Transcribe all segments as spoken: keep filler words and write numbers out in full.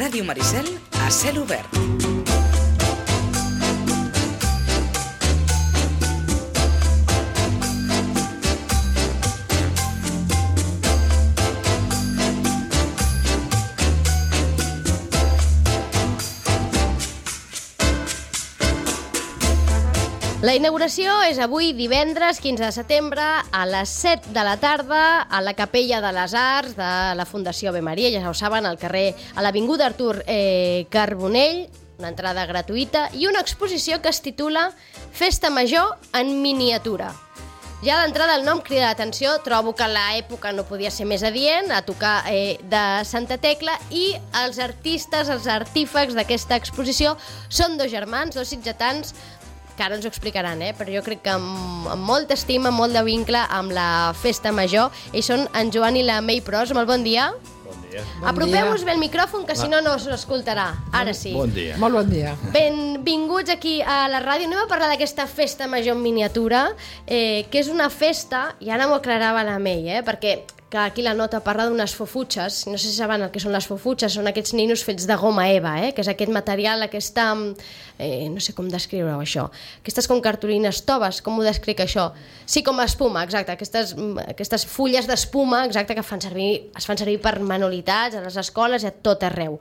Ràdio Maricel a cel obert. La inauguració és avui divendres quinze de setembre a les set de la tarda a la Capella de les Arts de la Fundació Ave Maria, ja ho saben, al carrer, a l'Avinguda Artur eh, Carbonell, una entrada gratuïta i una exposició que es titula Festa Major en miniatura. Ja d'entrada el nom crida l'atenció, trobo que l'època no podia ser més adient, a tocar eh, de Santa Tecla, i els artistes, els artífecs d'aquesta exposició són dos germans, dos sitgetans, que ara ens ho explicaran, eh? Però jo crec que amb, amb molta estima, amb molt de vincle amb la Festa Major. Ells són en Joan i la Mei Pros. Molt bon dia. Bon dia. Apropeu-vos bé el micròfon, que si no, no s'escoltarà. Ara sí. Bon dia. Molt bon dia. Benvinguts aquí a la ràdio. Anem a parlar d'aquesta Festa Major en miniatura, eh, que és una festa, i ara m'ho aclarava la Mei, eh? Perquè que aquí la nota parla d'unes fofutxes, no sé si saben el que són les fofutxes, són aquests ninos fets de goma eva, eh? Que és aquest material, aquesta, eh, no sé com descriure-ho això, aquestes com cartolines toves, com ho descric això? Sí, com espuma, exacte, aquestes, aquestes fulles d'espuma, exacte, que fan servir, es fan servir per manualitats a les escoles i a tot arreu.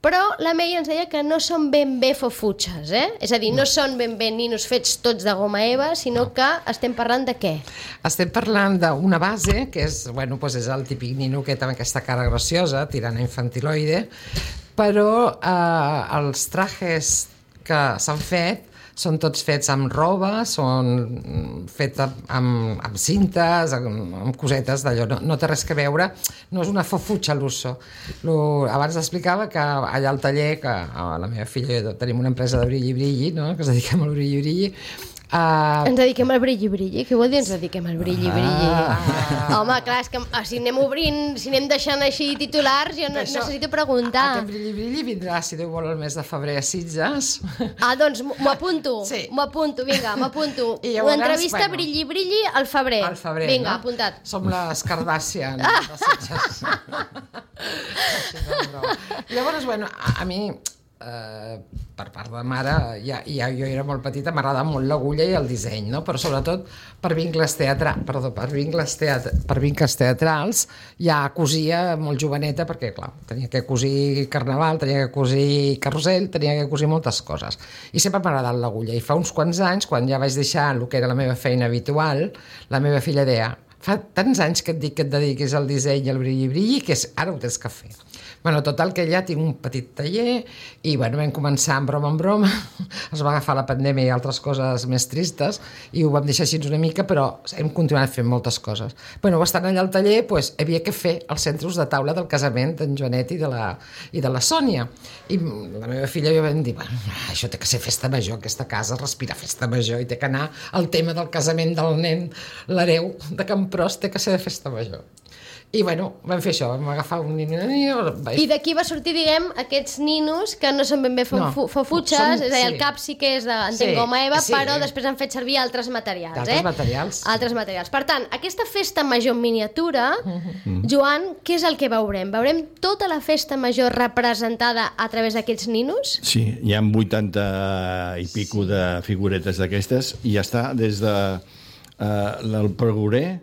Però la Mei ens deia que no són ben bé fofutxes, eh? És a dir, no són ben bé ninos fets tots de goma eva, sinó que estem parlant de què? Estem parlant d'una base, que és, bueno, doncs és el típic nino que té aquesta cara graciosa, tirant a infantiloide, però eh, els trajes que s'han fet són tots fets amb roba, són fets amb, amb cintes, amb, amb cosetes d'allò, no, no té res que veure, no és una fofutxa l'uso. Abans explicava que allà al taller, que a la meva filla i jo tenim una empresa de brilli-brilli, no? Que ens dediquem al brilli-brilli, Uh, ens dediquem al brilli-brilli? Què vol dir ens dediquem al brilli-brilli? Ah. Home, clar, és que si anem obrint, si anem deixant així titulars, jo no, això, necessito preguntar. Aquest brilli-brilli vindrà, si Déu vol, el mes de febrer a Sitges. Ah, doncs m'ho apunto, sí. m'ho apunto, vinga, m'apunto. Llavors, una entrevista bueno, brilli-brilli al febrer. Al febrer, vinga, no? Apuntat. Som les Kardashian ah. de Sitges. Així, no, no. Llavors, bueno, a, a mi... Uh, per part de mare, ja, ja jo era molt petita, m'agradava molt l'agulla i el disseny, no? Però sobretot per vincles teatra, perdó, per vincles, teatra, per vincles teatrals ja cosia molt joveneta, perquè clar, tenia que cosir carnaval, tenia que cosir carrusel, tenia que cosir moltes coses, i sempre m'ha agradat l'agulla, i fa uns quants anys, quan ja vaig deixar el que era la meva feina habitual, la meva filla deia, fa tants anys que et dic que et dediquis al disseny i al brilli-brilli, que és, ara ho tens que fer. Bueno, total, que ja tinc un petit taller i bueno, vam començar en broma en broma, es va agafar la pandèmia i altres coses més tristes i ho vam deixar així una mica, però hem continuat fent moltes coses. Bueno, estant allà al taller, pues, havia que fer els centres de taula del casament d'en Joanet i de la, i de la Sònia. I la meva filla i jo vam dir, bueno, això té que ser festa major, aquesta casa respira festa major i té que anar al tema del casament del nen, l'hereu de Campros, té que ser de festa major. I bueno, vam fer això, vam agafar un nino... I d'aquí va sortir, diguem, aquests ninos que no són ben bé fofutxes, no, és a dir, el cap sí que és de sí, goma eva, sí, però després han fet servir altres materials. Altres eh? materials. Altres materials. Per tant, aquesta festa major en miniatura, uh-huh. Joan, què és el que veurem? Veurem tota la festa major representada a través d'aquests ninos? Sí, hi ha vuitanta i pico sí. de figuretes d'aquestes, i ja està des de uh, el pregorer.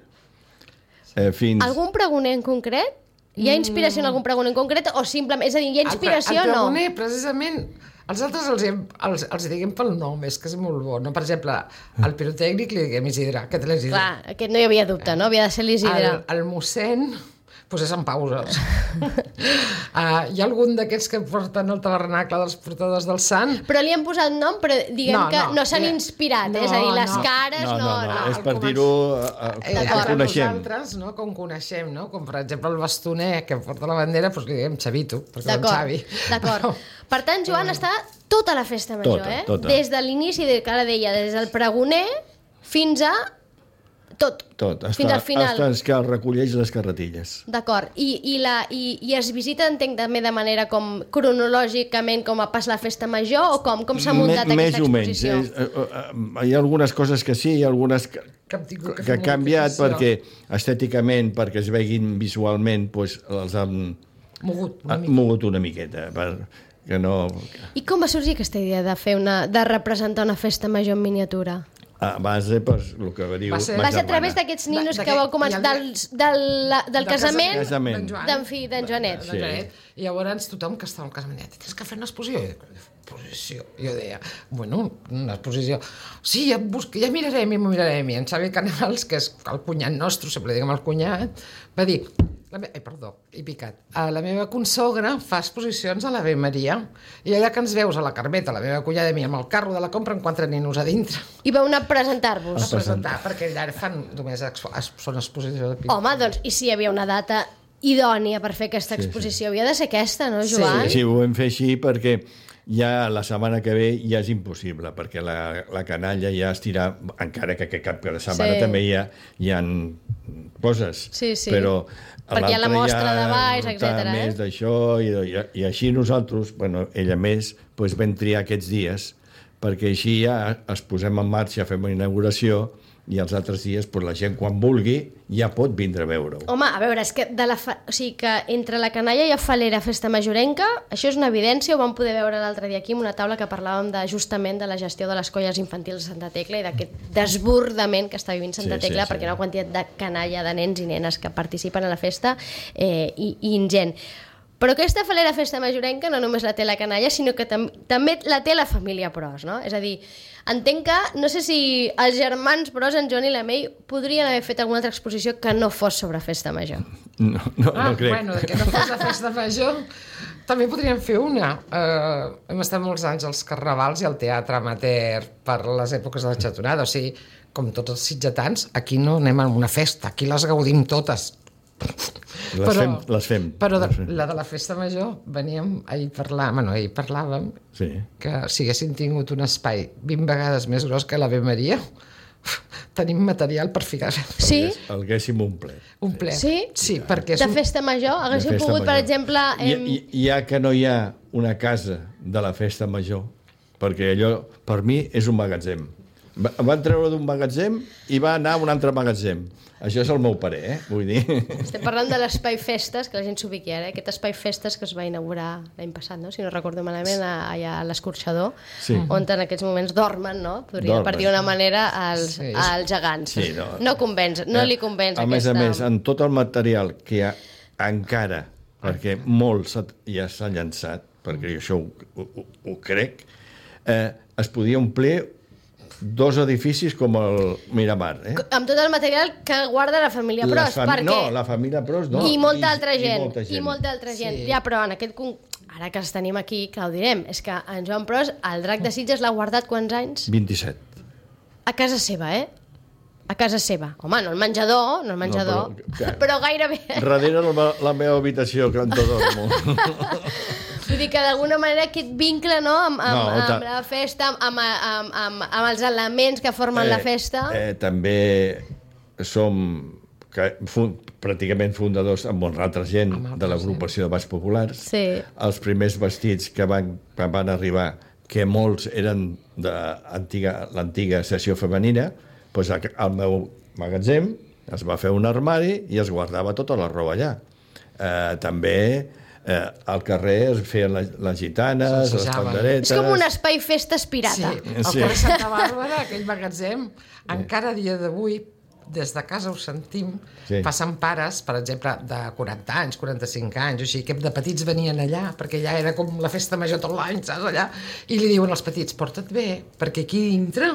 Eh, fins... Algun pregoner en concret? Hi ha inspiració en algun pregoner en concret o simplement... És a dir, hi ha inspiració o no? El pregoner, precisament, els altres els, els, els diguem pel nom, és que és molt bo. No? Per exemple, al pirotècnic li diguem Isidre. Aquest l'Isidre. Clar, aquest no hi havia dubte, no? Havia de ser l'Isidre. El, el mossèn... doncs és en pauses. uh, hi ha algun d'aquests que porten el tabernacle dels portadors del sant? Però li han posat nom, però diguem no, que no, no s'han eh, inspirat, no, és a dir, les no, cares no... No, no, no, no. és per dir-ho uh, eh, que coneixem. Nosaltres, no, com coneixem, no? Com per exemple el bastoner que porta la bandera, doncs li diguem Xavito, perquè és Xavi. D'acord. Per tant, Joan, està tota la festa major, tota, eh? Tota. Des de l'inici, que ara deia, des del pregoner fins a... Tot, Tot. Fins Està, al final. Hasta els que recolleix les carretilles. D'acord. I, i, la, i, I es visita, entenc, també de manera com cronològicament com a pas la festa major o com, com s'ha muntat Me, aquesta exposició? Més o menys. Eh, uh, uh, hi ha algunes coses que sí, hi ha algunes que, que, que ha canviat perquè estèticament, perquè es veguin visualment, doncs, els han Mogut, una ha mica. mogut una miqueta, per, que no... I com va sorgir aquesta idea de fer una, de representar una festa major en miniatura? A base, pues, el que diu Va ser- ma Va ser a germana. través d'aquests ninos De- que vau d'aquest- començar, i el- dels, del, la, del Del casament casament. d'en Joan. d'en fi, d'en Joanet. Sí. Sí. I llavors tothom que estava al casament deia, tens que fer una exposició. I jo, exposició? Jo deia, bueno, una exposició. Sí, ja, busca, ja mirarem i m'ho mirarem. I en Xavi Canals, que és el cunyat nostre, sempre li diguem el cunyat, va dir, la me... ai, perdó, he picat. A la meva consogra fa exposicions a l'Ave Maria i allà que ens veus a la Carmeta, la meva cunyada i mi, amb el carro de la compra, en quatre ninos a dintre. I vau anar a A presentar-vos. presentar, perquè allà fan només expo... són exposicions de pintura. Home, doncs, i si hi havia una data idònia per fer aquesta exposició, havia de ser aquesta, no, Joan? Sí, ho vam fer així perquè ja la setmana que ve ja és impossible, perquè la, la canalla ja estirà, encara que aquest cap de setmana Sí. també hi ha, hi ha coses, Sí, sí. però Perquè hi ha la l'altre mostra ja de baix, està etcètera, eh? més d'això, i, i, i així nosaltres, bueno, ella més, doncs vam triar aquests dies, perquè així ja es posem en marxa, fem una inauguració, i els altres dies, doncs, la gent quan vulgui ja pot vindre a veure-ho. Home, a veure, és que, de la fa... o sigui que entre la canalla i la falera festa majorenca, això és una evidència, ho vam poder veure l'altre dia aquí en una taula que parlàvem de, justament de la gestió de les colles infantils de Santa Tecla i d'aquest desbordament que està vivint Santa Sí, sí, Tecla, sí. perquè hi ha una quantitat de canalla, de nens i nenes que participen a la festa eh, i, i ingent. Però aquesta falera festa majorenca no només la té la canalla, sinó que tam també la té la família Pros, no? És a dir, entenc que, no sé si els germans Pros, en Joan i la May, podrien haver fet alguna altra exposició que no fos sobre festa major. No, no, Ah, no crec. bueno, que no fos la festa major, també podríem fer una. Uh, hem estat molts anys als carnavals i al teatre amateur per les èpoques de la xatonada, o sigui, com tots els sitgetans, aquí no anem a una festa, aquí les gaudim totes. Les fem, les fem. Però de, Les fem. la de la festa major veníem ahir parlar, bueno, ahir parlàvem Sí. que si haguéssim tingut un espai vint vegades més gros que l'Ave Maria, tenim material per ficar Sí? El haguéssim un ple. un ple. Sí? Sí, perquè és De un... festa major, haguéssiu De festa pogut, per major. exemple... I, Em... i, ja que no hi ha una casa de la festa major, perquè allò, per mi, és un magatzem. Va, van treure d'un magatzem i va anar a un altre magatzem. Això és el meu parer, eh? Vull dir... Estem parlant de l'Espai Festes, que la gent s'ubiqui ara, eh? Aquest Espai Festes que es va inaugurar l'any passat, no? Si no recordo malament, a- allà a l'Escorxador, Sí. on en aquests moments dormen, no? Podria, Dormen. per dir una manera, als, Sí. als gegants. Sí, no. no convenç, no Eh, li convenç a més aquesta... a més, en tot el material que hi ha encara, perquè molt s'ha- ja s'ha llançat, perquè això ho, ho, ho, ho crec, eh, es podia omplir dos edificis com el Miramar, eh? Amb tot el material que guarda la família Les Pros, fami- perquè... No, la família Pros no. I molta altra gent, I molta i molta altra gent. Sí. Ja, però en aquest... con- Ara que els tenim aquí, que ho direm, és que en Joan Pros, el drac de Sitges l'ha guardat quants anys? vint-i-set. A casa seva, eh? A casa seva. Home, no el menjador, no el menjador, No, però, però- però gairebé. Darrere la, me- la meva habitació, que on dormo. Vull dir que d'alguna manera aquest vincle, no?, amb, amb, No, amb ta- la festa, amb, amb, amb, amb, amb els elements que formen la festa... Eh, també som que, fun, pràcticament fundadors amb molta altra gent de l'agrupació de Balls Populars. Sí. Els primers vestits que van, que van arribar, que molts eren de antiga- l'antiga sessió femenina, doncs al- al meu magatzem es va fer un armari i es guardava tota la roba allà. Eh, també eh, al carrer es feien les, les gitanes, les S'assajaven. panderetes... És com un espai festes pirata. Sí, al Sí. carrer Santa Bàrbara, aquell magatzem, encara a dia d'avui, des de casa ho sentim, Sí. passen pares, per exemple, de quaranta anys, quaranta-cinc anys, o sigui, que de petits venien allà, perquè allà era com la festa major tot l'any, saps, allà, i li diuen als petits, porta't bé, perquè aquí dintre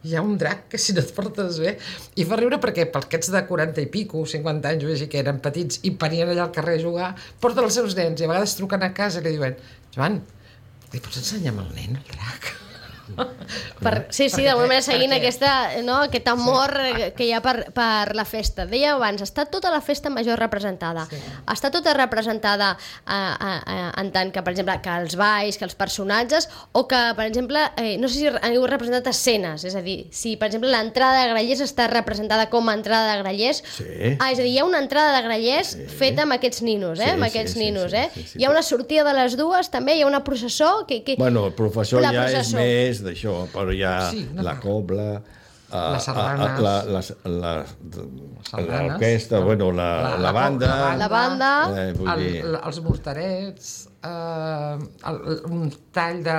hi ha un drac que si no et portes bé... I fa riure perquè per aquests de quaranta i pico, cinquanta anys, o així, que eren petits i venien allà al carrer a jugar, porten els seus nens i a vegades truquen a casa i li diuen, Joan, li pots ensenyar al nen el drac? Per, sí, sí, d'alguna manera seguint perquè- aquesta, no, aquest amor sí. que hi ha per, per la festa. Deia abans, està tota la festa major representada. Sí. Està tota representada a, a, a, en tant que, per exemple, que els balls, que els personatges, o que, per exemple, eh, no sé si heu representat escenes, és a dir, si, per exemple, l'entrada de Grallers està representada com a entrada de Grallers, Sí. ah, és a dir, hi ha una entrada de Grallers Sí. feta amb aquests ninos, eh? Sí, amb sí, aquests sí, ninos, sí, eh? sí, sí, hi ha sí. una sortida de les dues, també, hi ha una processó que... que... Bueno, el professor La ja processó. és més d'això, però hi ha Sí, no, la no. cobla, Uh, les sardanes, la, la, la, la, l'orquestra, bueno, la, la, la banda... La banda... Eh, vull el, dir... els morterets, eh, el, un tall de,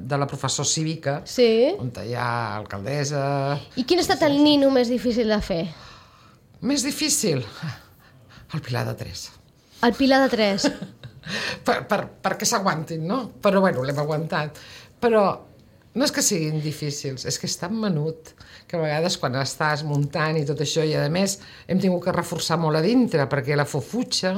de la professor cívica, Sí. on hi ha alcaldessa... I quin ha estat el nino més difícil de fer? Més difícil? El Pilar de Tres. El Pilar de Tres. per, per, perquè s'aguantin, no? Però, bueno, l'hem aguantat. Però no és que siguin difícils, és que és tan menut que a vegades quan estàs muntant i tot això, i a més hem tingut que reforçar molt a dintre perquè la fofutxa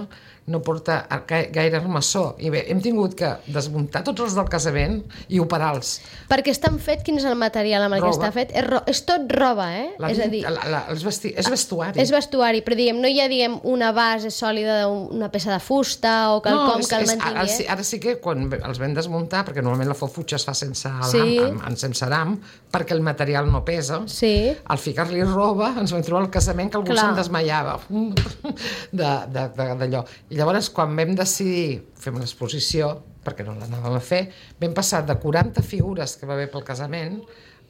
no porta gaire armassó. I bé, hem tingut que desmuntar tots els del casament i operar-los. Perquè estan fet, quin és el material amb el Roba. que està fet? És, ro és tot roba, eh? La, és a dir, la, la, els vesti és vestuari. és vestuari, però diguem, no hi ha diguem, una base sòlida d'una peça de fusta o quelcom és, que el és, mantingui, ara, sí, eh? ara sí que quan els vam desmuntar, perquè normalment la fofutxa es fa sense alam, Sí. amb, amb, sense aram, perquè el material no pesa, Sí. al ficar-li roba ens vam trobar al casament que algú Clar. se'n desmaiava d'allò. I llavors, quan vam decidir fer una exposició, perquè no l'anàvem a fer, vam passar de quaranta figures que va haver pel casament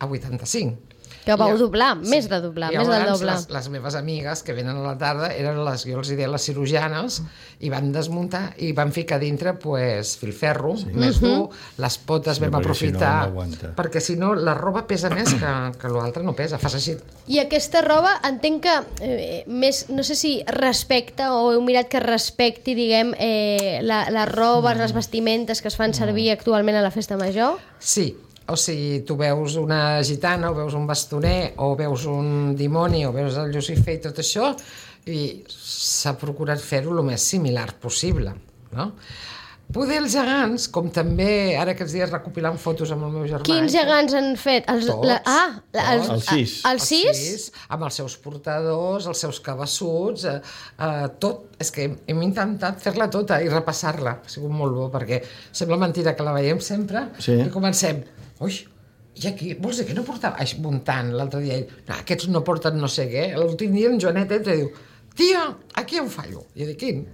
a vuitanta-cinc. Que vau I- doblar, més de doblar, I més del llavors doble. Les, les meves amigues que venen a la tarda eren les, jo els hi deia, les cirurgianes, i van desmuntar i van ficar dintre pues, filferro, sí. més dur, les potes Sí, vam perquè si no, aprofitar, no aguanta. perquè si no la roba pesa més que, que l'altra no pesa, fas així. I aquesta roba entenc que eh, més, no sé si respecta o heu mirat que respecti, diguem, eh, la, les robes, les vestimentes que es fan servir actualment a la festa major? Sí, o sigui, tu veus una gitana, o veus un bastoner, o veus un dimoni, o veus el Lucifer i tot això, i s'ha procurat fer-ho el més similar possible, no? Poder els gegants, com també ara aquests dies recopilant fotos amb el meu germà... Quins gegants han fet? Els, Tots, la, ah, la, els, Els sis. Els sis? amb els seus portadors, els seus cabassuts, eh, eh, tot. És que hem, hem intentat fer-la tota i repassar-la. Ha sigut molt bo, perquè sembla mentira que la veiem sempre Sí. i comencem, ui, i aquí, vols dir que no portava... Ai, muntant, l'altre dia, no, aquests no porten no sé què. L'últim dia en Joanet entra i diu, tia, aquí hi ha un fallo. I jo dic, quin?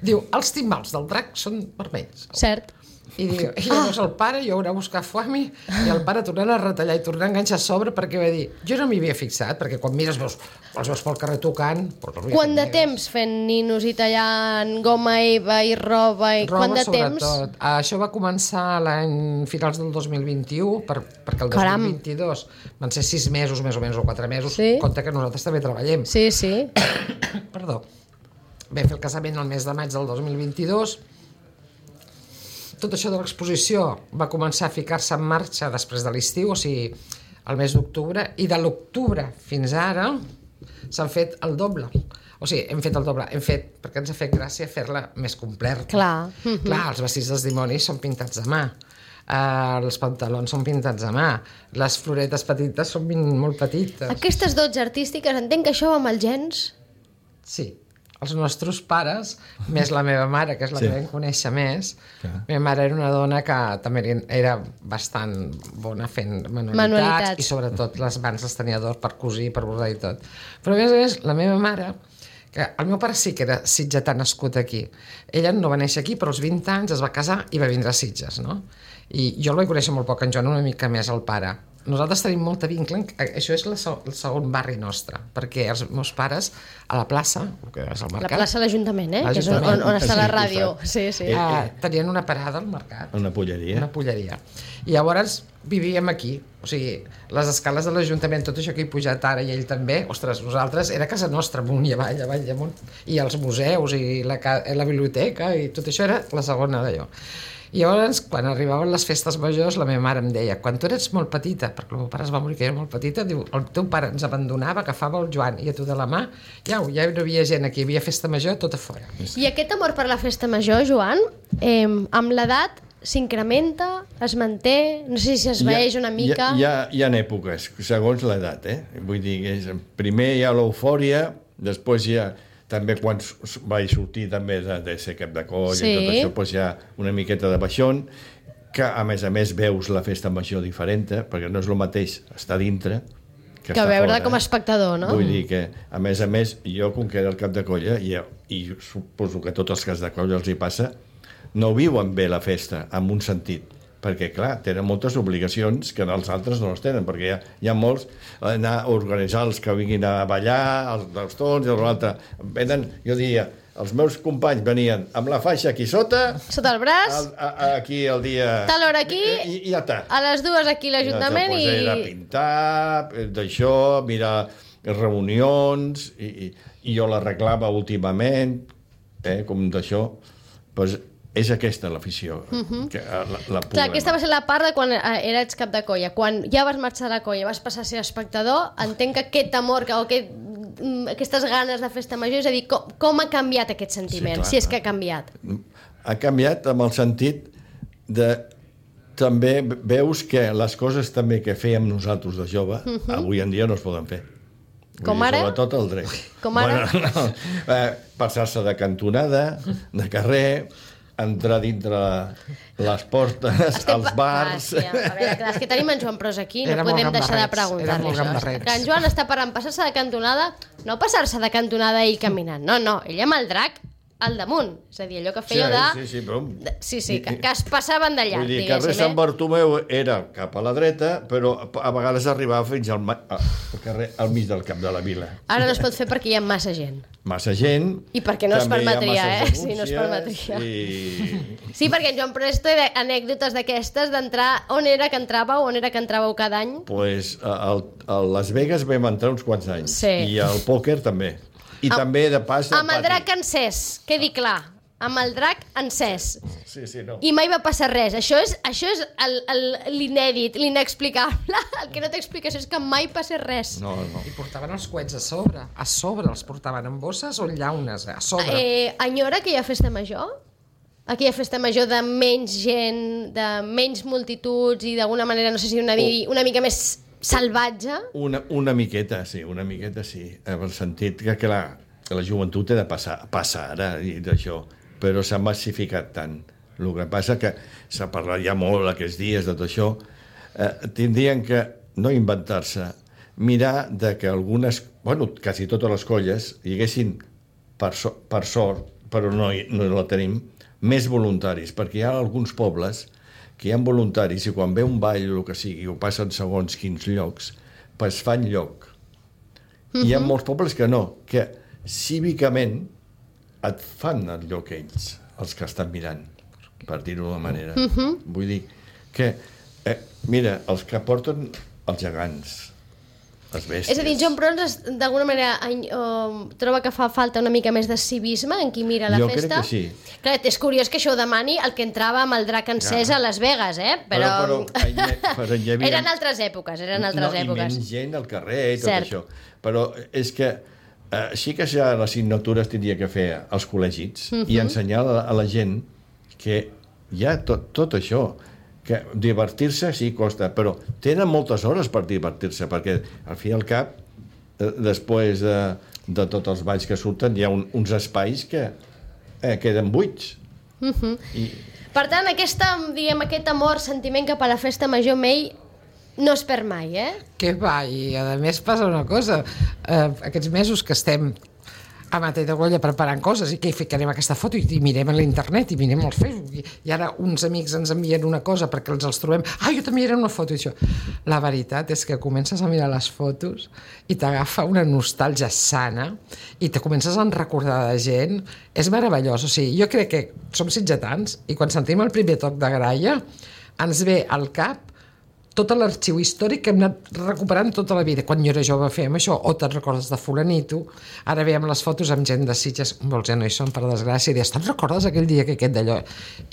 Diu, els timbals del drac són vermells. Cert. I, diu, i llavors el pare, jo haurà buscat foami, i el pare tornant a retallar i tornant a enganxar a sobre, perquè va dir, jo no m'hi havia fixat, perquè quan mires veus, els veus pel carrer tocant... Quant de temps fent ninos i tallant goma eva i roba? I Roba, quant de temps? sobretot. Això va començar l'any finals del dos mil vint-i-u, per, perquè el Caram. dos mil vint-i-dos van ser sis mesos, més o menys, o quatre mesos. Sí. Compte que nosaltres també treballem. Sí, sí. Perdó. Vam fer el casament el mes de maig del dos mil vint-i-dos. Tot això de l'exposició va començar a ficar-se en marxa després de l'estiu, o sigui, el mes d'octubre, i de l'octubre fins ara s'han fet el doble. O sigui, hem fet el doble, hem fet, perquè ens ha fet gràcia fer-la més completa. Clar. Clar, els vestits dels dimonis són pintats a mà, uh, els pantalons són pintats a mà, les floretes petites són molt petites. Aquestes dots artístiques, entenc que això va amb els gens? Sí, els nostres pares, més la meva mare, que és la Sí. que vam conèixer més. Clar. La meva mare era una dona que també era bastant bona fent manualitats, Manualitats. i sobretot les mans les tenia d'or per cosir, per bordar i tot. Però a més a més, la meva mare, que el meu pare sí que era sitgetà nascut aquí. Ella no va néixer aquí, però als vint anys es va casar i va vindre a Sitges, no? I jo el vaig conèixer molt poc, en Joan una mica més el pare. Nosaltres tenim molta vincle, això és la, el segon barri nostre, perquè els meus pares a la plaça, que és el La mercat, plaça de l'Ajuntament, eh? Que és on, L'Ajuntament. on està la Sí, ràdio. costat. Sí, sí. Eh, eh, tenien una parada al mercat, Una polleria. una polleria. I llavors vivíem aquí, o sigui, les escales de l'Ajuntament, tot això que he pujat ara i ell també, ostres, nosaltres, era casa nostra, amunt i avall, avall i amunt, i els museus i la, la biblioteca i tot això era la segona d'allò. I llavors, quan arribaven les festes majors, la meva mare em deia, quan tu eres molt petita, perquè el meu pare es va morir que era molt petita, diu, el teu pare ens abandonava, agafava el Joan i a tu de la mà, ja, ja no hi havia gent aquí, hi havia festa major tot a fora. I aquest amor per la festa major, Joan, eh, amb l'edat s'incrementa, es manté, no sé si es veeix una mica... Hi ha, hi ha, hi ha èpoques, segons l'edat, eh? Vull dir, que és, primer hi ha l'eufòria, després hi ha... També quan vaig sortir també de, de ser cap de coll Sí. i tot això, doncs hi ha una miqueta de baixón, que a més a més veus la festa major diferent, perquè no és el mateix estar dintre que, Que estar veure fora, com a eh? espectador, no? Vull dir que, a més a més, jo, com que era el cap de colla, i, i suposo que a tots els caps de colla els hi passa, no viuen bé la festa, en un sentit. perquè, clar, tenen moltes obligacions que els altres no les tenen, perquè hi ha, hi ha molts, anar a organitzar els que vinguin a ballar, els dels tons i l'altre. Venen, jo diria, els meus companys venien amb la faixa aquí sota, Sota el braç, el, a, a, aquí el dia... tal hora aquí, i, i ja està. a les dues aquí l'Ajuntament I... i... Era pintar, d'això, mirar reunions, i, i, i jo l'arreglava últimament, eh, com d'això, doncs és aquesta l'afició. Uh-huh. que, la, la Clar, aquesta va ser la part de quan eh, eres cap de colla. Quan ja vas marxar de la colla, vas passar a ser espectador, entenc que aquest amor que, o aquest, aquestes ganes de festa major, és a dir, com, com ha canviat aquest sentiment, sí, clar, si és que ha canviat? Ha canviat amb el sentit de... També veus que les coses també que fèiem nosaltres de jove, uh-huh. avui en dia no es poden fer. Com ara? Sobretot el dret. Com ara? Bueno, no. eh, passar-se de cantonada, de carrer, entrar dintre les portes, Estem als bars... Ah, sí, a veure, clar, és que tenim en Joan Pros aquí, no Era podem deixar de gambarrets, preguntar-li era molt això. gambarrets. Que en Joan està parlant passar-se de cantonada, no passar-se de cantonada ell caminant, no, no, ell amb el drac al damunt, és a dir, allò que feia de... Sí, sí, però... de... Sí, sí, que, que es passaven d'allà, Vull dir, diguéssim, carrer Sant eh? Bartomeu era cap a la dreta, però a vegades arribava fins al, ma... al carrer al mig del cap de la vila. Ara no es pot fer perquè hi ha massa gent. Massa gent... I perquè no es també hi ha permetria, eh? masses Sí, no es permetria. I... Sí, perquè en Joan Pros té anècdotes d'aquestes d'entrar... On era que entràveu? On era que entràveu cada any? Pues a, a Las Vegas vam entrar uns quants anys. Sí. I al pòquer també. I Am, també, de pas, al amb el pati. drac encès, quedi clar. Amb el drac encès. Sí, sí, no. I mai va passar res. Això és, això és el, el, l'inèdit, l'inexplicable. El que no té explicació és que mai passa res. No, no. I portaven els coets a sobre. A sobre els portaven en bosses o en llaunes, a sobre. Eh, enyora que hi ha festa major? Aquella festa major de menys gent, de menys multituds i d'alguna manera, no sé si una, oh. una mica més salvatge? Una, una miqueta, sí, una miqueta sí. En el sentit que, que, la, que la joventut ha de passar, passar ara i d'això, però s'ha massificat tant. El que passa que s'ha parlat ja molt aquests dies de tot això. Eh, tindrien que no inventar-se, mirar de que algunes, bueno, quasi totes les colles hi haguessin, per, so, per sort, però no, no la tenim, més voluntaris, perquè hi ha alguns pobles que hi ha voluntaris i quan ve un ball o el que sigui, o passen segons quins llocs, pues fan lloc. Uh-huh. Hi ha molts pobles que no, que cívicament et fan el lloc ells, els que estan mirant, per dir-ho d'una manera. Uh-huh. Vull dir que, eh, mira, els que porten els gegants, les bèsties... És a dir, Joan Pros d'alguna manera uh, troba que fa falta una mica més de civisme en qui mira la jo festa. Jo crec que sí. Clar, és curiós que això ho demani el que entrava amb el drac encès ja. a Las Vegas, eh? Però... però, però, però hi havia... Eren altres èpoques, eren altres no, èpoques. I menys gent al carrer i tot Cert. això. Però és que eh, sí que ja les assignatures tindria que fer als col·legis uh-huh. i ensenyar a la, a la gent que hi ha tot, tot això, que divertir-se sí costa, però tenen moltes hores per divertir-se, perquè al fi i al cap, eh, després de, de tots els balls que surten, hi ha un, uns espais que eh, queden buits. Uh-huh. I... Per tant, aquesta, diguem, aquest amor, sentiment cap a la festa major May no es perd mai, eh? Què va, i a més passa una cosa, eh, aquests mesos que estem a Matall de Golla preparant coses i que hi ficarem aquesta foto i, i mirem a l'internet i mirem al Facebook i, i ara uns amics ens envien una cosa perquè els els trobem, ah, jo també era una foto i això. La veritat és que comences a mirar les fotos i t'agafa una nostàlgia sana i te comences a recordar de gent, és meravellós, o sigui, jo crec que som sitgetans i quan sentim el primer toc de gralla ens ve al cap tot l'arxiu històric que hem anat recuperant tota la vida. Quan jo era jove fèiem això, o te'n recordes de fulanito, ara veiem les fotos amb gent de Sitges, molts ja no hi són, per desgràcia, i dius, te'n recordes aquell dia que aquest d'allò?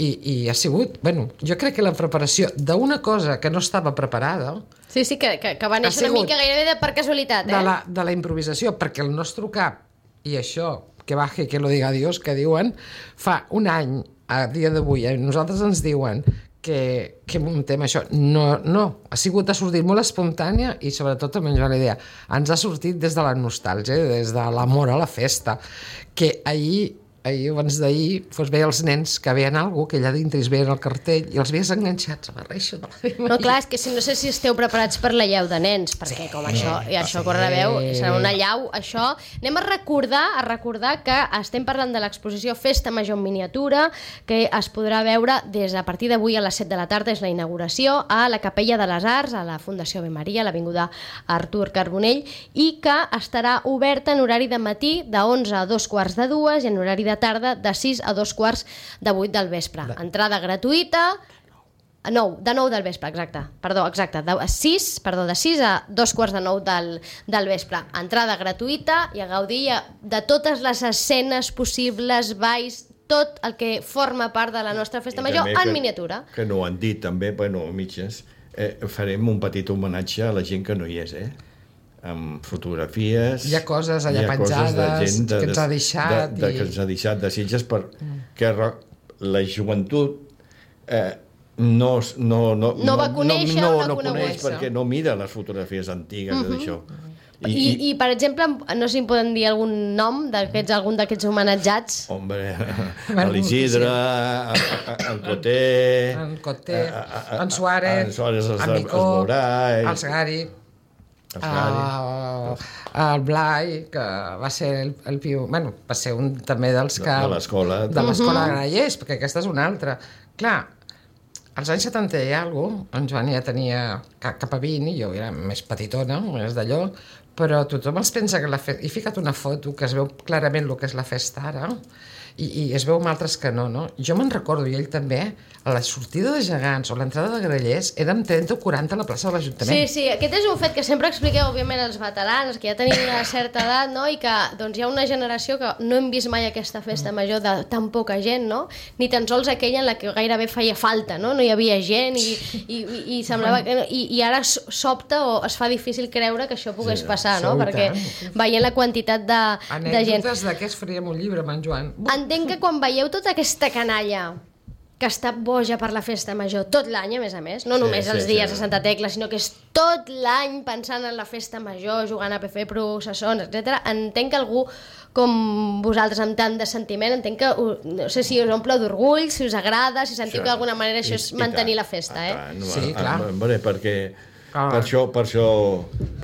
I, I ha sigut, bueno, jo crec que la preparació d'una cosa que no estava preparada... Sí, sí, que, que, que va néixer una mica gairebé de per casualitat, eh? De la, de la improvisació, perquè el nostre cap, i això, que baje, que lo diga Dios, que diuen, fa un any, a dia d'avui, a nosaltres ens diuen que, que muntem això. No, no, ha sigut a sortir molt espontània i sobretot també ens va la idea. Ens ha sortit des de la nostàlgia, des de l'amor a la festa, que ahir ahir abans d'ahir, doncs veia els nens que veien alguna cosa, que allà dintre es veien el cartell i els veies enganxats a la reixa de l'Ave Maria. No, clar, és que si no sé si esteu preparats per la llau de nens, perquè com això, i això corre la veu, serà una llau, això. Anem a recordar, a recordar que estem parlant de l'exposició Festa Major en miniatura, que es podrà veure des de a partir d'avui a les set de la tarda, és la inauguració, a la Capella de les Arts, a la Fundació Ave Maria, a l'avinguda Artur Carbonell, i que estarà oberta en horari de matí de onze a dos quarts de dues i en horari de tarda de sis a dos quarts de vuit del vespre. Entrada gratuïta, nou, de nou del vespre, exacte. Perdó, exacte, de sis, perdó, de sis a dos quarts de nou del, del vespre. Entrada gratuïta i a gaudir de totes les escenes possibles, balls, tot el que forma part de la nostra festa major en miniatura. Que no ho han dit també, bueno, mitges, eh, farem un petit homenatge a la gent que no hi és, eh? Amb fotografies... Hi ha coses allà penjades de, de, que ens ha deixat... De, de, i... que ens ha deixat de Sitges perquè mm. la joventut eh, no, no, no, no va conèixer no, o no, no coneix perquè no mira les fotografies antigues uh -huh. d'això. I, I, I, per exemple, no sé si em poden dir algun nom d'aquests, algun d'aquests homenatjats. Hombre, l'Isidre, en Coté... En Coté, en Suárez, en Suárez, en Micó, el Segari, el Blai, que va ser el, el piu... Bueno, va ser un també dels que... De l'escola. De l'escola de Grallers, perquè aquesta és una altra. Clar, als anys setanta i alguna cosa, en Joan ja tenia cap a vint, i jo era més petitona, més d'allò, però tothom els pensa que la festa... He ficat una foto que es veu clarament el que és la festa ara, i, i es veu amb altres que no, no? Jo me'n recordo, i ell també, a la sortida de Gegants o l'entrada de Grallers érem trenta o quaranta a la plaça de l'Ajuntament. Sí, sí, aquest és un fet que sempre expliqueu, òbviament, els veterans, que ja tenim una certa edat, no?, i que doncs, hi ha una generació que no hem vist mai aquesta festa major de tan poca gent, no?, ni tan sols aquella en la que gairebé feia falta, no?, no hi havia gent i, i, i, i semblava que... No, i, i ara sobta o es fa difícil creure que això pogués sí, passar, no?, perquè veient la quantitat de, de gent... Anècdotes d'aquests faríem un llibre amb en Joan. Entenc que quan veieu tota aquesta canalla que està boja per la festa major tot l'any, a més a més, no només sí, els sí, dies sí. de Santa Tecla, sinó que és tot l'any pensant en la festa major, jugant a P F, processons, etcètera. Entenc que algú com vosaltres amb tant de sentiment, entenc que, no sé si us omple d'orgull, si us agrada, si sentiu que d'alguna manera això és mantenir la festa, eh? Sí, clar. Perquè per això, per això,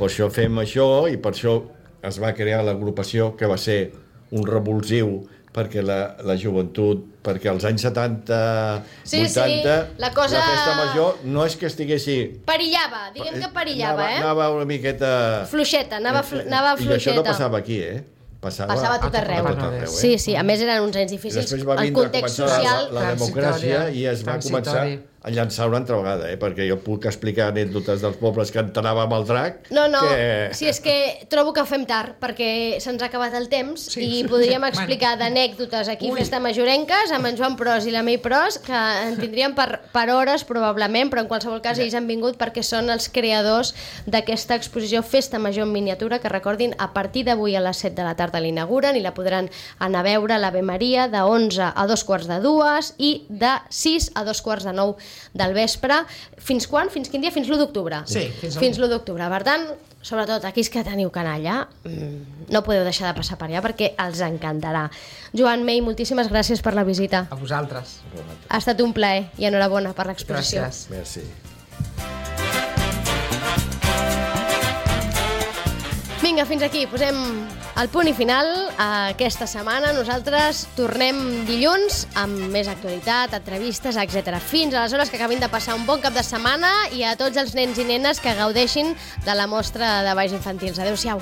per això fem això i per això es va crear l'agrupació, que va ser un revulsiu perquè la, la joventut, perquè als anys setanta, sí, vuitanta, sí, la, cosa... la festa major no és que estiguessi... Perillava, diguem que perillava, anava, eh? Anava una miqueta... Fluixeta, anava, flu... anava fluixeta. I això no passava aquí, eh? Passava, passava a tot arreu. A tot arreu eh? Sí, sí, a més eren uns anys difícils. El context social... La, la democràcia i es va començar a llançar una altra vegada, eh? Perquè jo puc explicar anècdotes dels pobles que entràvem al drac... No, no, que... si és que trobo que fem tard, perquè se'ns ha acabat el temps sí. i podríem explicar d'anècdotes aquí, Ui. Festa majorenques, amb en Joan Pros i la Mei Pros, que en tindríem per, per hores, probablement, però en qualsevol cas ells han vingut perquè són els creadors d'aquesta exposició Festa Major en miniatura, que recordin, a partir d'avui a les set de la tarda l'inauguren i la podran anar a veure a l'Ave Maria de onze a dos quarts de dues i de sis a dos quarts de nou del vespre. Fins quan? Fins quin dia? Fins l'u d'octubre. Sí, fins, fins l'u d'octubre. Per tant, sobretot aquells que teniu canalla, no podeu deixar de passar per allà perquè els encantarà. Joan, Mei, moltíssimes gràcies per la visita. A vosaltres. Ha estat un plaer i enhorabona per l'exposició. Gràcies. Merci. Vinga, fins aquí. Posem el punt i final a aquesta setmana. Nosaltres tornem dilluns amb més actualitat, entrevistes, etcètera. Fins aleshores, que acabin de passar un bon cap de setmana i a tots els nens i nenes que gaudeixin de la mostra de balls infantils. Adéu-siau.